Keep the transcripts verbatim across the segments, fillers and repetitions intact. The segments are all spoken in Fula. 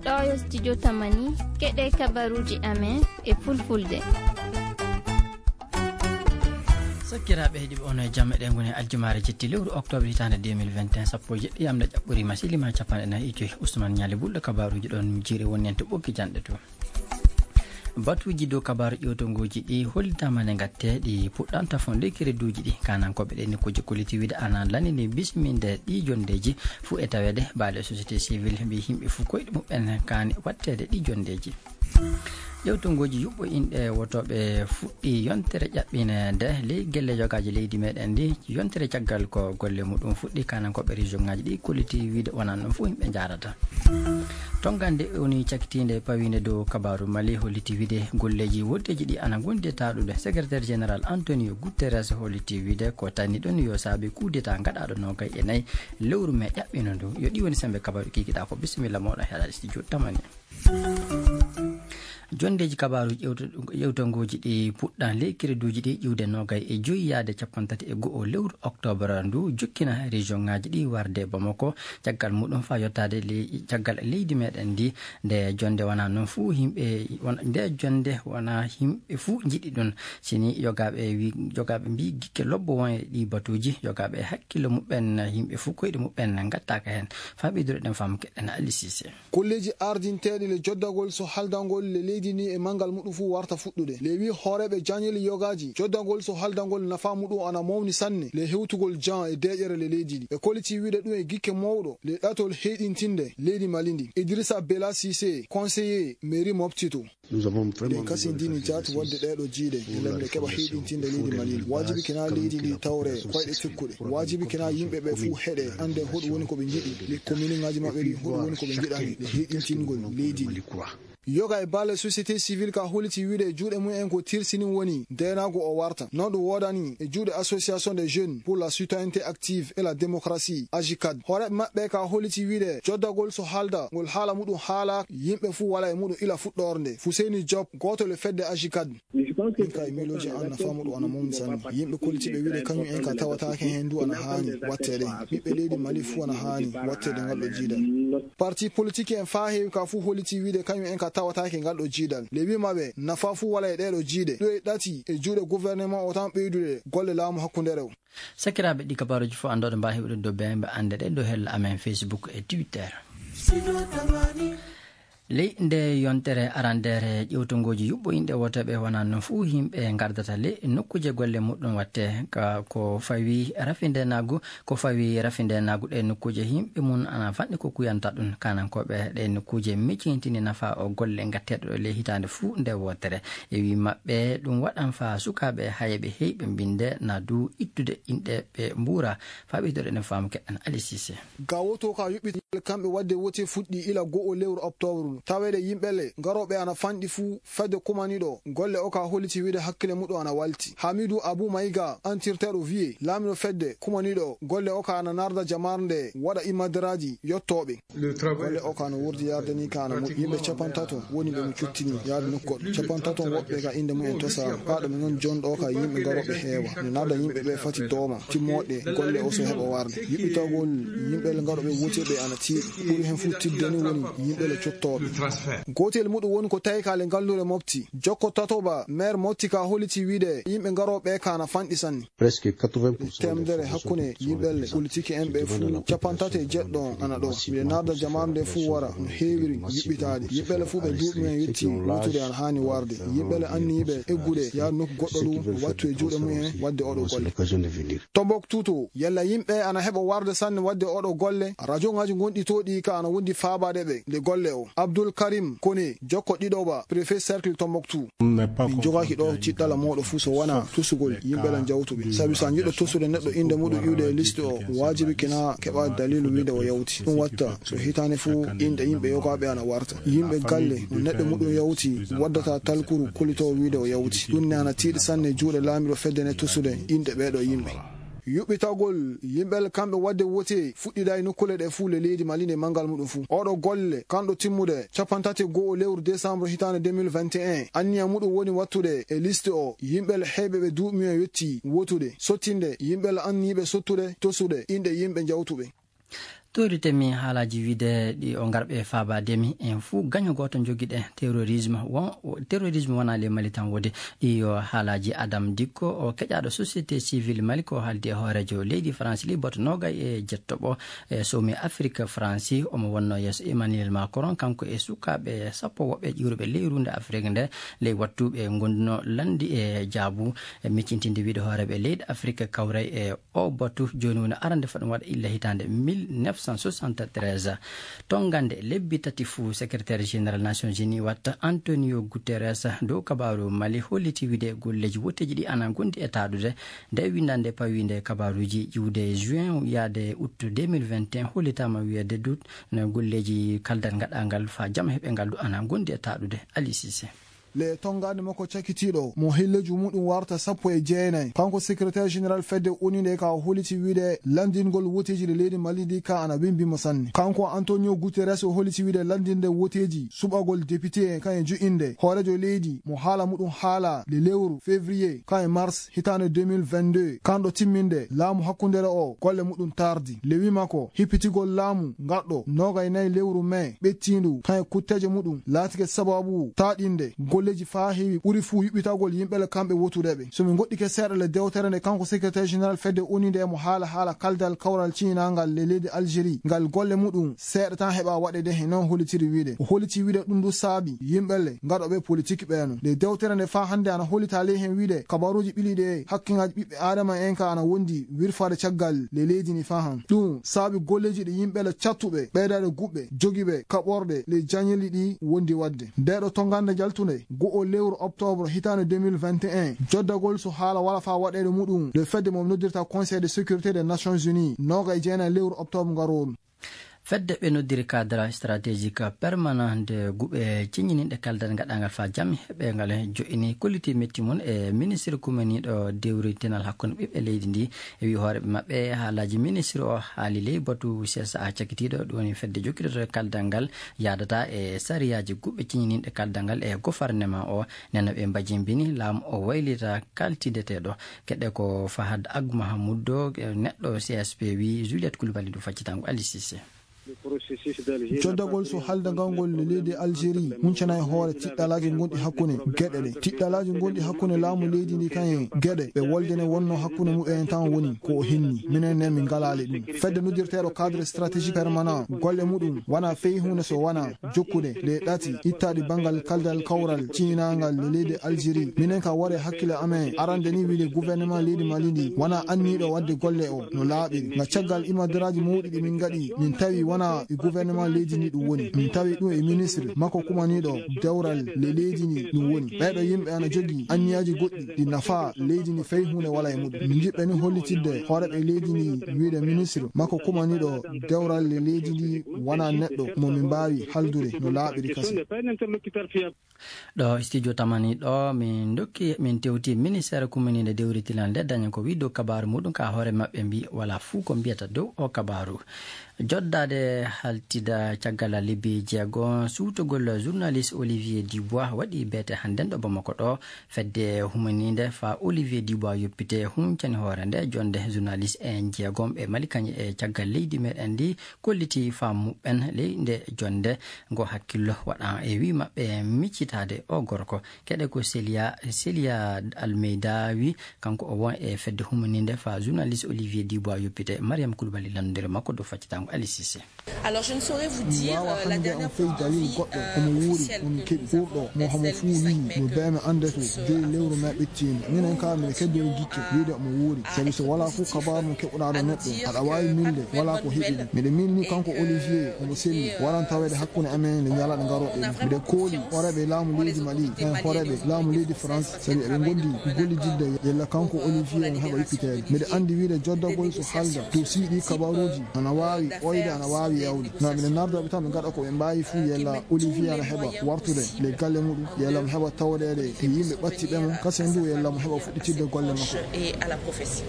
Ɗo yo studio Tamani, keɗe kabaruji amen e fulfulde. Sakkiraaɓe heɗiiɓe, on e jam. Eɗen ngoni aljumaare jetti lewru octobre hitaande deux mille vingt et un, sappo e jeɗɗi yamɗe ƴaɓɓoriima, silima capanɗe nayi e joyi. Ousmane Ñaali Bulɗo, kabaruuji ɗon jiiri woni en to ɓoggi janɗe to. Batuuji dow kabaaru ƴewtongooji ɗi hollitaama ne ngatte, ɗi puɗɗanta fon ley kereduuji ɗi. Kaanankooɓe ɗe nokkuuji kolliti wiide ana lanini bisminde ɗi jonndeeji fuu e taweede. Baale société civile mbi yimɓe fuu koyɗe muɓɓen kaani watteede ɗi jonndeeji. Ƴewtongooji yuɓɓo inɗe wotooɓe fuɗɗi yontere ƴaɓɓineede ley gelle yogaaji leydi meɗen ndi. Yontere caggal ko golle muɗum fuɗɗi, kaanankooɓe région ŋaaji ɗi kolliti wiide wonaa noon fof yimɓe njaarata. Tonngande woni cakitiinde pawiinde dow kabaaru Mali holliti wiide golleeji woddeeji ɗi ana ngondi e taaɗude. Secrétaire général Antonio Guterres holliti wiide ko tanni ɗon yo saabe coup d'état gaɗaaɗo noogay e nayi lewru mee ƴaɓɓino ndu. Yo ɗi woni sembe kabaaru kikiɗaa ko. Bisimilla mooɗon heɗaade studio Tamani. Jonndeeji kabaaru ƴewto-, ƴewtongooji ɗi puɗɗan ley kereduuji ɗi ƴiwde noogay e joyi yaade capanɗe tati e go'o lewru oktoobar ndu, jokkina région ŋaaji ɗi warde Bamako, caggal muɗum faa yottaade ley-, caggal leydi meɗen ndi. Nde jonnde wonaa noon fuu yimɓe, won-, nde jonnde wonaa yimɓe fuu njiɗi ɗum. Sini yogaaɓe wi-, yogaaɓe mbii gikke lobbo won e ɗi batuuji, yogaaɓe e hakkillo muɓɓen, yimɓe fuu koyɗe muɓɓen ngattaaka heen. Faa ɓeydude ɗen faamu keɗen Ali Sise. Golleeji ardinteeɗi le joddagol so haldangol le leydi ndi e manngal muɗum fuu warta fuɗɗude. Le wii hooreeɓe jañeeli yogaaji, joddagol so haldangol nafaa muɗum ana mawni sanne le hewtugol jan e deeƴere le leydi ndi. Ɓe kolliti wiide ɗum e gikke mawɗo le ɗatol heyɗintinde leydi Mali ndi. Idrissa Bella Cissé, conseiller mairie Mopti to. Eɗen kasindini jaati waɗde ɗeeɗo jiiɗe, ngam nde keɓa heyɗintinde leydi Mali. Waajibi kina leydi ndi tawre koyɗe tekkuɗe. Waajibi kina yimɓe ɓe fuu heɗe, annden hoɗum woni ko ɓe njiɗi. Ley kominuŋaaji maɓɓe ɗi, hoɗum woni ko ɓe njiɗani, le heyɗintingol leydi ndi. Yoga e balle société civile ka holliti wiide juuɗe mumen ko tirsini woni ndeenaagu o warta. Noon ɗum woodani e juuɗe Association des Jeunes pour la Citoyenneté Active et la Démocratie, AJCAD. Hooreeɓe maɓɓe ka holliti wiide joddagol so haalda ngol haala muɗum haala yimɓe fuu wala e muɗum ila fuɗɗoorde. Fuseyni Joop, gooto le fedde AJCAD. Min ka e miilooji an nafaa muɗum ana mawni sanne. Yimɓe kollitiiɓe wiide kañum en ka tawataake heen ndu ana haani watteede. Ɓiɓɓe leydi Mali fuu ana haani watteede ngal ɗo jiidal. Parti politique en faa heewi ka fuu holliti wiide kañum en ka tawataake ngal ɗo jiidal. Le wii maɓɓe nafaa fuu wala e ɗee ɗo jiiɗe. Ɗo e ɗati e juuɗe gouvernement o tan ɓeydude golle laamu hakkundeere o. Sakiraaɓe, ɗi kabaaruuji fof anndooɗo mbaawi heɓude dow beembe annde ɗe dow hella amen Facebook e Twitter. Ley nde yontere arandeere ƴewtongooji yuɓɓo inɗe wooteeɓe wonaa noon fuu yimɓe ngardata ley nokkuuje golle muɗum watte ka ko fawi rafindeenaagu, ko fawi rafindeenaagu ɗe nokkuuje yimɓe mum ana fanɗi ko kuyanta ɗum. Kaanankooɓe ɗe nokkuuje micintini nafa o golle ngatteeɗo ɗo ley hitaande fuu nde wootere. E wii maɓɓe ɗum waɗan faa sukaaɓe hayɓe heyɓe mbinde na du ittude inɗe ɓe mbuura. Faa ɓeydoɗen faamu keɗen Ali Sise. Gawoto ka yuɓɓitagol kamɓe waɗde wote fuɗɗi ila go'o lewru oktoobre. Taweede yimɓe le garooɓe ana fanɗi fuu fedde kumaniiɗo golle o ka holliti wiide hakkille muɗum ana walti. Hamidu Abu Mayiga antirteeɗo wiye laamiiɗo fedde kumaniiɗo golle o ka ana narda jamaarnde waɗa imadaraaji yottooɓe. Golle o ka no wurdi yarde ni ka ana moƴƴi. Yimɓe capantato woni ɓe mo cuttini yaade nokku goɗɗo. Capantato woɓɓe ka innde mumen tosaama. Faa ɗo min ngoni jonɗo ka yimɓe garooɓe heewa. Ne narda yimɓe ɓe fati dooma. Timmoɗe golle o so heɓa warde. Yuɓɓitagol yimɓe le garooɓe wote ɓe ana tiiɗi. Ɓuri heen fuu tiiɗde ni woni yimɓe le cottooɓe. Gootel muɗum woni ko tawi ka le ngallure Mopti. Jokko Tatoba, maire Mopti ka holliti wiide yimɓe garooɓe ka ana fanɗi sanne. Presque quatre-vingts pour cent des Teemedere hakkunde yimɓe le politique en ɓe fuu, capantato e jeɗɗo ana ɗo. Miɗo narda jamaaru nde fuu wara no heewiri yuɓɓitaade. Yimɓe le fuu ɓe duuɓi men yotti wootude ana haani warde. Yimɓe le anniyiiɓe eggude yaade nokku goɗɗo ɗum, wattu e juuɗe mumen waɗde oɗo golle. Tombouctou to, yalla yimɓe ana heɓa warde sanne waɗde oɗo golle? Rajoŋaaji gonɗi to ɗi ka ana wondi faabaade ɓe nde golle o. Abdoul Karim Koné, jokko ɗiɗoɓa, préfet cercle Tombouctou. Min jogaaki ɗo ciɗɗala mooɗo fuu so wonaa tosugol yimɓe lan jawtuɓe. Sabi so a njiɗɗo tosude neɗɗo innde muɗum iwde e liste o, waajibi kina keɓa daliilu wiide o yawti. Ɗum watta so hitaande fuu inɗe yimɓe yogaaɓe ana warta. Yimɓe galle no neɗɗo muɗum yawti waddata talkuru kollitoowo wiide o yawti. Ɗum ne ana tiiɗi sanne juuɗe laamiiɗo fedde ne tosude inɗe ɓee ɗoo yimɓe. Yuɓɓitagol yimɓe kamɓe waɗde wote fuɗɗidaa e nokkuule ɗe fuu le leydi Mali nde manngal muɗum fuu. Oɗo golle, kanɗo timmude capanɗe tati e go'o lewru décembre hitaande deux mille vingt et un, anniya muɗum woni wattude e liste o yimɓe heyɓe ɓe duuɓi mumen yottii wotude, sottinde yimɓe anniiɓe sottude, tosude inɗe yimɓe jawtuɓe. Toritemi haalaaji wiide ɗi o ngarɓe faabaade mi en fuu gaño gooto njogiɗen terrorisme. Won, terrorisme wonaa le Mali tan wode. Ɗi yo haalaaji Adam Dikko, o keƴaaɗo société civile Mali, ko haaldi e hooreejo leydi France liboto noogay e jettoɓo e sowmi Afrique France. Omo wonno yeeso Emmanuel Macron, kanko e sukaaɓe sappo woɓɓe ƴiwruɓe ley runde Afrique nde, ley wattuɓe ngonduno lanndi e jaabu e miccintinde wiide hooreeɓe leydi Afrique kawray e o batu. Jooni woni arande faɗum waɗa illa hitaande mille neuf cent soixante-treize. Tongande lebbi tati fuu, secrétaire général Nations Unies watta Antonio Guterres dow kabaaru Mali holliti wiide golleeji woteeji ɗi ana gondi e taaɗude. Nde winndande pawiinde kabaaruuji iwde juin yaade août deux mille vingt et un hollitaama wiyeede du golleeji kaldal ngaɗangal faa jam heɓe ngal du ana gondi e taaɗude. Ali Cissé. Le tongaande makko cakitiiɗo mo helleeji muɗum warta sappo e jeenayi, kanko secrétaire général fedde O N U nde ka o holliti wiide lanndingol woteeji ɗi leydi Mali ndi ka ana wimbi mo sanne. Kanko Antonio Guterres o holliti wiide lanndinde woteeji suɓagol député en kan e jo'inde hooreejo leydi mo haala muɗum haala le lewru février kan e mars hitaande deux mille vingt-deux, kanɗo timminde laamu hakkundere o golle muɗum tardi. Le wii makko hippitigol laamu ngaɗɗo noogay nayi lewru mai ɓettiindu kan e kutteeje muɗum laatike sababu taaɗinde golleeji faa heewi ɓuri fuu yuɓɓitagol yimɓe le kamɓe wotudeɓe. So min ngoɗɗike seeɗa le dewtere nde kanko secrétaire général fedde O N U nde mo haala haala kaldal kawral ciñinangal le leydi Algérie ngal golle muɗum seeɗa tan heɓa waɗede he non hollitiri wiide. O holliti wiide ɗum du saabi yimɓe le ngaɗoɓe politique ɓeeno. Nde dewtere nde faa hannde ana hollita ley hen wiide kabaruuji ɓiliɗe hakkiŋaaji ɓiɓɓe aadama en ka ana wondi wirfaade caggal le leydi ni faa han. Ɗum saabi golleeji ɗi yimɓe le cattuɓe, ɓeydaade guɓɓe, jogiiɓe kaɓorɗe le jañeli ɗi wondi waɗde. Nde ɗo tongande jaltunde go'o lewru octobre hitaande deux mille vingt et un, joddagol so haala wala faa waɗeede muɗum nde fedde mo noddirta Conseil de sécurité des Nations Unies, nooga e jeenayi lewru octobre ngarooru. Fedde ɓe noddiri cadre stratégique permanent nde guɓe ciññininɗe kaldal ngaɗangal faa jam heɓengal jo'ini kolliti metti mum e ministre kumaniiɗo dewritinal hakkunde ɓiɓɓe leydi ndi. E wi hooreeɓe maɓɓe haalaaji ministre o haali ley batu C S A cakitiiɗo ɗum woni fedde jokkitoto kaldal ngal yaadata e sariyaaji guɓe ciññininɗe kaldal ngal e gofarnema o. Nena ɓe mbajimbini laamu o waylita kaltideteeɗo. Keɗe ko Fahad Ag Mahamoud, neɗɗo C S P wi Juliette Koulibaly ɗum faccitango Ali Cissé. Joddagol so halda ngal ngol leydi Algérie huncana e hoore tiɗɗalaaji gonɗi hakkunde geɗe ɗe. Tiɗɗalaaji gonɗi hakkunde laamu leydi ndi kan e geɗe ɓe woldene wonno hakkunde muɓɓen tan woni ko o hinni. Minen ne min ngalaali ɗum. Fedde noddirteeɗo cadre stratégique permanent golle muɗum wona fey huunde so wona jokkude le ɗati ittaɗi banngal kaldal kawral ciñinangal le leydi Algérie. Minen ka ware hakkille amen arande ni wiide gouvernement leydi Mali ndi wona anniiɗo wadde golle o no laaɓiri. Nga caggal imadaraaji mawɗi ɗi min ngaɗi min tawi wona e gouvernement leydi ndi ɗum woni. Min tawi ɗum e ministre makko kumaniiɗo dewral le leydi ndi ɗum woni. Ɓeeɗo yimɓe ana jogii anniyaaji goɗɗi ɗi nafa leydi ndi fey huunde wala e muɗum. Min njiɗɓe ni hollitidde hooreɓe leydi ndi wiide ministre makko kumaniiɗo dewral le leydi ndi wona neɗɗo mo min mbaawi haldude no laaɓiri kasi. Ɗo studio tamani ɗo min dokki min tewti ministère kumaniinde dewritinal nde daña ko wi dow kabaaru muɗum ka hoore maɓɓe mbi wala fuu ko mbiyata dow o kabaaru. Joddaade haltida caggal lebbi jeego suutugol journaliste Olivier Dubois waɗi beete hannden ɗo Bamako ɗo. Fedde humaniinde fa Olivier Dubois yoppite huncani hoore nde jonde journaliste en jeegom ɓe Mali kañe e caggal leydi meɗen ndi kolliti faamu muɓɓen ley nde jonde ngo hakkillo waɗa e wi maɓɓe miccitaade o gorko. Keɗe ko Celia, Celia Almeida wi kanko o won e fedde humaniinde fa journaliste Olivier Dubois yoppite. Mariam Koulibaly lanndondire makko dow faccitango Ali Cissé. Alors, je ne saurais vous dire, euh, la dernière fois, on vit, euh, officiellement, le vingt-cinq mai, que nous avons su, euh, minen ka miɗo keddori gikke wiide omo wuuri sabi so wala fof kabaru mo keɓɓuɗa ɗo neɗɗo aɗa wawi milde wala ko heɓi ɗum. Miɗo milni kanko Olivier omo selli waran taweede hakkunde amen nde ñalaɗe garoɗe ɗum. Miɗo kooli horeɓe laamu leydi Mali en horeɓe laamu leydi France sabi eɓe gondi gollididde yella kanko Olivier omo heɓa yoppiteede. Miɗo andi wiide joddagol so halda dow siiɗi kabaruji ana wawi oyde ana wawi yawde. Ngam miɗo nardoɓe tan ɓe gaɗa ko ɓe mbawi fuu yella Olivier ana heɓa wartude le galle muɗum yella mo heɓa tawɗeɗe e yimɓe ɓattiɓe mo kasen du yella mo heɓa fuɗɗitidde golle makko. Et à la prophétie.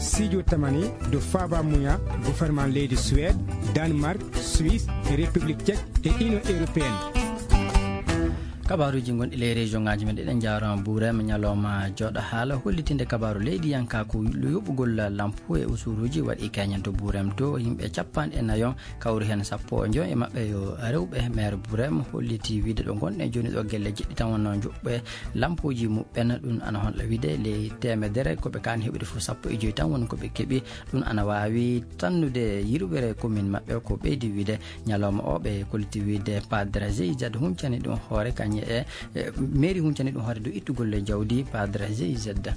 Sijo tamani do faba muya gouvernement leydi Suède, Danemark, Suisse, République Tchèque et Union Européenne. Kabaruji gonɗi ley région ngaji men ɗiɗen jarama burem ñalawma joɗa haala hollitinde kabaru leydi yanka ko yoɓugol lampu e usuruji waɗi keñen to burem to yimɓe capanɗe nayo kawri hen sappo e joyo e maɓɓe yo rewɓe maire burem holliti wiide ɗo gonɗen joni ɗo gelle jeɗɗi tan wonno joɓɓe lampuji muɓɓen ɗum ana honɗa wiide ley temedere koɓe kan heɓude fof sappo e joyi tan woni koɓe keeɓi ɗum ana wawi tannude yirwere commune maɓɓe ko ɓeydi wiide ñalawma o ɓe kolliti wiide padre jeyzad huncani ɗum hoore kañe e mairie huncani ɗum hoore dow ittugol e jawdi padre jeyzad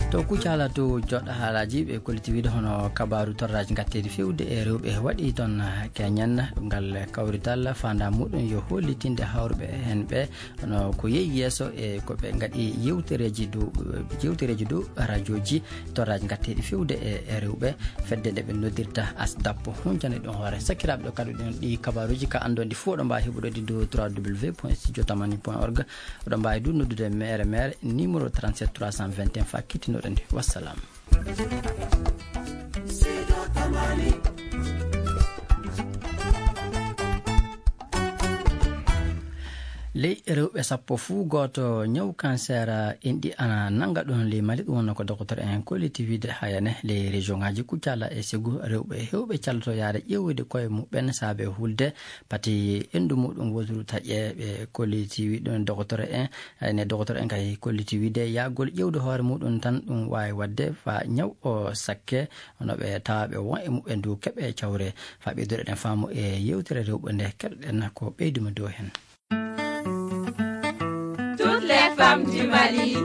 to kucala to joɗɗo haalaji ɓe kolliti wiide hono kabaru torraji gatteɗi fewde e rewɓe waɗi toon keñen ɗum ngal kawrital fanda muɗum yo hollitinde hawruɓe hen ɓe hono ko yehi yeeso e ko ɓe gaɗi yewtereji dow yewtereji dow radioji torraji gatteɗi fewde e rewɓe fedde nde ɓe noddirta asdap huncani ɗum hoore sakkiraɓe ɗo kadi ɗum ɗi kabaruji ka andondi fof ɗo mbawi heɓuɗo ɗi dow trois w point studio tamani point org oɗon mbawi du noddude mere mere numéro trente-sept trois cent vingt et un fa kittinoɗo nde wassalam ley rewɓe sappo fuu gooto ñaw cancer enɗi ana nannga ɗon ley mali ɗum wonno ko docteur en kolliti wiide hayane ley région ngaji kuccala e segu rewɓe hewɓe calloto yaade ƴeewde koye muɓɓen saabe hulde pati endu muɗum woturu taƴe ɓe kolliti wiide ɗum docteur en hayne docteur en kay kolliti wiide yaagol ƴeewde hoore muɗum tan ɗum waawi waɗde fa ñaw o sakke hono ɓe tawa ɓe won e muɓɓen du keɓe cawre fa ɓeyduɗen faamu e yewtere rewɓe nde keɗoɗen ko ɓeyduma dow hen Toutes les femmes du Mali.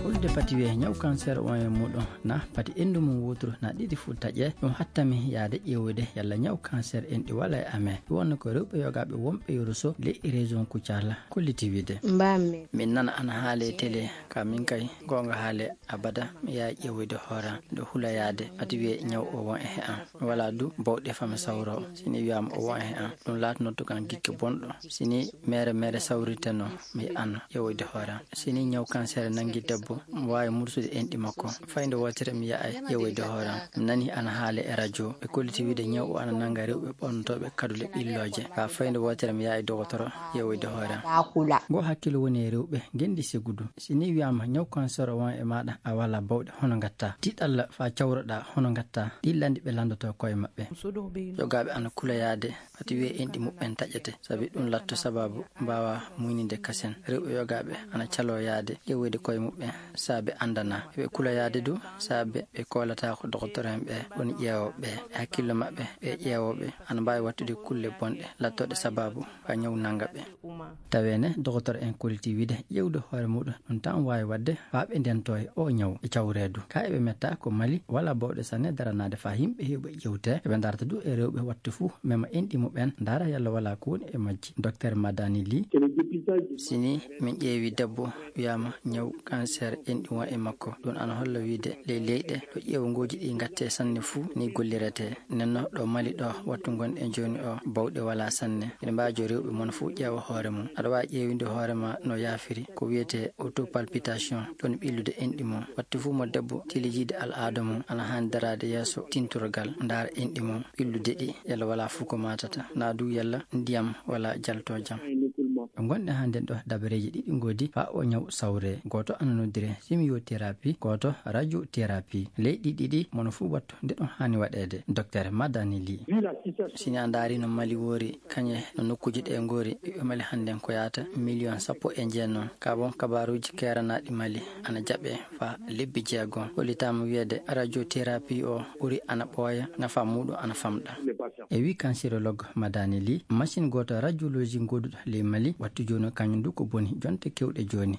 Hulde pati wiye ñaw cancer on e muɗum na pati endu mum wutru na ɗiɗi fu taƴe ɗum hattami yaade ƴeewude yalla ñaw cancer en ɗi wala e amen ɗum wonno ko rewɓe yogaɓe wonɓe yoruso ley région kucala kolliti wiide mbammi min nana ana haale télé ka min kay gonga haale abada mi yaha ƴeewoyde hooram miɗo hula yaade pati wiye ñaw o won e he am mi wala du bawɗe fami sawro sini wiyama o won e he am ɗum laatanoto kan gikke bonɗo sini mere mere sawriteno mi an ƴeewoyde hooram sini ñaw cancer nangi debbo mi wawi mursude enɗi makko fayde wotere mi yahay ƴeewoyde hooram mi nani ana haale e radio ɓe kolliti wiide ñaw o ana nanga rewɓe ɓornotoɓe kadule ɓillooje ka fayde wotere mi yahay dogotoro ƴeewoyde hooram ngo hakkille woni e rewɓe gendi segudu si ni wiyama ñaw cancer o won e maɗa a wala bawɗe hono gatta tiɗalla fa cawroɗa hono gatta ɗi landi ɓe landoto koye maɓɓe yogaɓe ana kula yaade pati wiye enɗi muɓɓen taƴete sabi ɗum latto sababu mbawa muynide kasen rewɓe yogaɓe ana calo yaade ƴeewoyde koye muɓɓen saabe andana ɓe kula yaade du saabe ɓe kolata ko dogotoren ɓe woni ƴeewoɓe ɓe hakkille maɓɓe ɓe ƴeewoɓe ana mbawi wattude kulle bonɗe lattoɗe sababu fa ñaw nanga ɓe tawene dogotor en koliti wiide ƴewde hoore muɗum ɗum tan wawi wadde fa ɓe ndento e o ñaw e cawredu ka eɓe metta ko mali wala bawɗe sanne daranade fa yimɓe hewɓe ƴewte eɓe darata du e rewɓe wattu fuu mema enɗi muɓen dara yalla wala ko woni e majji docteur madani li sini min ƴeewi debbo wiyama ñaw cancer enɗi won e makko ɗum ana holla wiide ley leyɗe ɗo ƴeewngooji ɗi gatte sanne fuu ni gollirete nenno ɗo mali ɗo wattu gonɗen joni o bawɗe wala sanne ene mbajo rewɓe mon fuu ƴeewa hoore mum aɗa wawi ƴeewinde hoore ma no yaafiri ko wiyete autopalpitation ɗon ɓillude enɗi mum wattu fuu mo debbo tilijiide al aada mum ana hani daraade yeeso tintorgal ndaara enɗi mum ɓillude ɗi yalla wala fuu ko matata na du yalla ndiyam wala jalto jam ɓe gonɗen hannden ɗo dabareeji ɗiɗi ngoodi fa o ñaw sawre gooto ana noddire simiothérapie gooto radiothérapie leyɗi ɗiɗi mono fuu wattu nde ɗum haani waɗeede docteur madani li sini a ndaari no mali woori kañe no nokkuuji ɗe ngoori ɓiɓɓe mali hannden ko yahata million sappo e jeenno ka bon kabaruuji keeranaɗi mali ana jaɓe fa lebbi jeegom hollitaama wiyeede radiothérapie o ɓuri ana ɓooya nafa muɗum ana famɗa e wi cancérologue madani li machine gooto radiologie ngoduɗo ley mali wattu jooni kañum du ko boni jonte kewɗe jooni